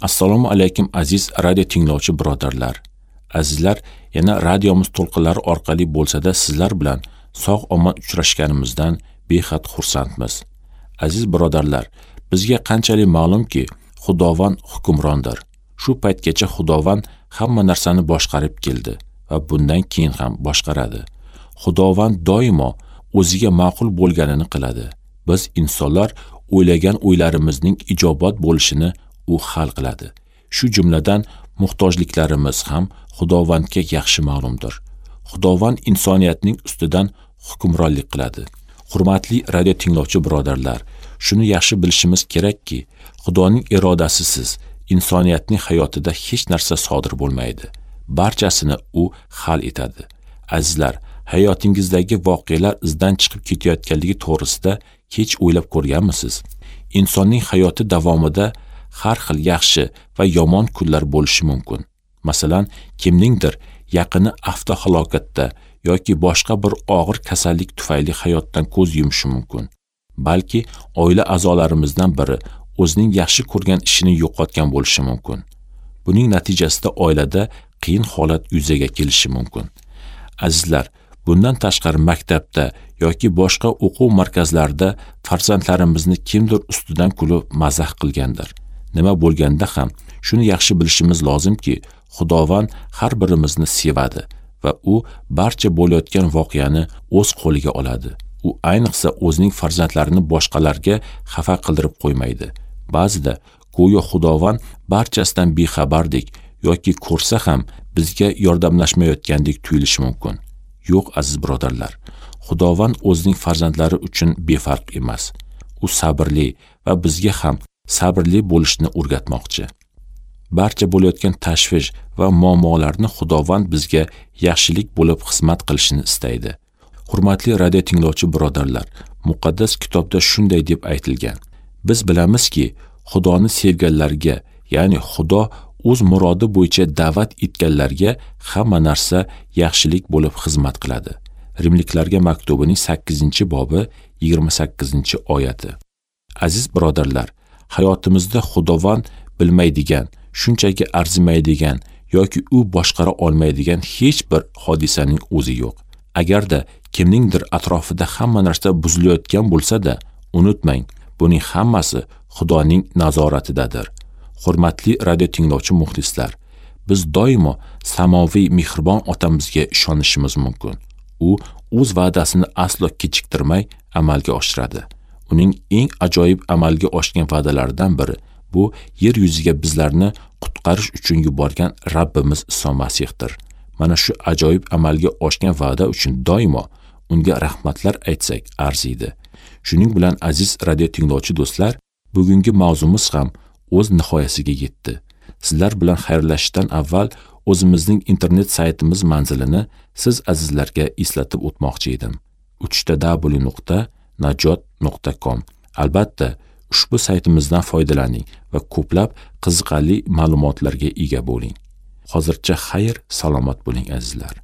Assalomu alaykum aziz radio tinglovchi birodarlar. Azizlar, yana radiomiz to'lqinlari orqali bo'lsa-da sizlar bilan sog' omon uchrashganimizdan behad xursandmiz. Aziz birodarlar, bizga qanchalik ma'lumki, Xudovand hukmrondir. Shu paytgacha Xudovand hamma narsani boshqarib keldi va bundan keyin ham boshqaradi. Xudovand doimo o'ziga ma'qul bo'lganini qiladi. Biz insonlar o'ylagan o'ylarimizning ijobat bo'lishini u hal qiladi. Shu jumladan muhtojliklarimiz ham Xudovandga yaxshi ma'lumdir. Xudovand insoniyatning ustidan hukmronlik qiladi. Hurmatli radio tinglovchi birodarlar, shuni yaxshi bilishimiz kerakki, Xudoning irodasisiz insoniyatning hayotida hech narsa sodir bo'lmaydi. Barchasini u hal etadi. Azizlar, hayotingizdagi voqealar izdan chiqib ketayotganligi to'g'risida hech o'ylab ko'rganmisiz? Insonning hayoti davomida har xil yaxshi va yomon kunlar bo'lishi mumkin. Masalan, kimningdir yaqini avtohalokatda yoki boshqa bir og'ir kasallik tufayli hayotdan ko'z yumishi mumkin. Balki oila a'zolarimizdan biri o'zining yaxshi ko'rgan ishini yo'qotgan bo'lishi mumkin. Buning natijasida oilada qiyin holat yuzaga kelishi mumkin. Azizlar, bundan tashqari maktabda yoki boshqa o'quv markazlarida farzandlarimizni kimdir ustidan kulib mazax qilgandir. Nima bo'lganda ham shuni yaxshi bilishimiz lozimki, Xudovand har birimizni sevadi va u barcha bo'layotgan voqeani o'z qo'liga oladi. U ayniqsa o'zining farzandlarini boshqalarga xafa qildirib qo'ymaydi. Ba'zida go'yo Xudovand barchasidan bexabardek yoki ko'rsa ham bizga yordamlashmayotgandek tuyulishi mumkin. Yo'q, aziz birodarlar, Xudovand o'zining farzandlari uchun befarq emas. U sabrli va bizga ham sabrli bo'lishni o'rgatmoqchi. Barcha bo'layotgan tashvish va muammolarni Xudovand bizga yaxshilik bo'lib xizmat qilishini istaydi. Hurmatli radio tinglovchi birodarlar, muqaddas kitobda shunday deb aytilgan: Biz bilamizki, Xudoni sevganlarga, ya'ni Xudo o'z murodi bo'yicha da'vat etganlarga hamma narsa yaxshilik bo'lib xizmat qiladi. Rimliklarga maktubining 8-bobi 28-oyati. Aziz birodarlar, hayotimizda Xudovand bilmaydigan, shunchaki arzimaydigan yoki u boshqara olmaydigan hech bir hodisaning o'zi yo'q. Agarda kimningdir atrofida hamma narsa buzilayotgan bo'lsa-da, unutmang, buning hammasi Xudoning nazoratidadir. Hurmatli radio tinglovchi muxlislar, biz doimo samoviy mehribon otamizga ishonishimiz mumkin. U o'z va'dasini aslo kechiktirmay amalga oshiradi. Uning eng ajoyib amalga oshgan va'dalaridan biri bu yer yuziga bizlarni qutqarish uchun yuborgan Rabbimiz Iso Masihdir. Mana shu ajoyib amalga oshgan va'da uchun doimo unga rahmatlar aytsak arziydi. Shuning bilan aziz radio tinglovchi do'stlar, bugungi mavzumiz ham o'z nihoyasiga yetdi. Sizlar bilan xayrlashishdan avval o'zimizning internet saytimiz manzilini siz azizlarga eslatib o'tmoqchi edim. www.najot.com. Albatta, ushbu saytimizdan foydalaning va ko'plab qiziqarli ma'lumotlarga ega bo'ling. Hozircha xayr, salomat bo'ling azizlar.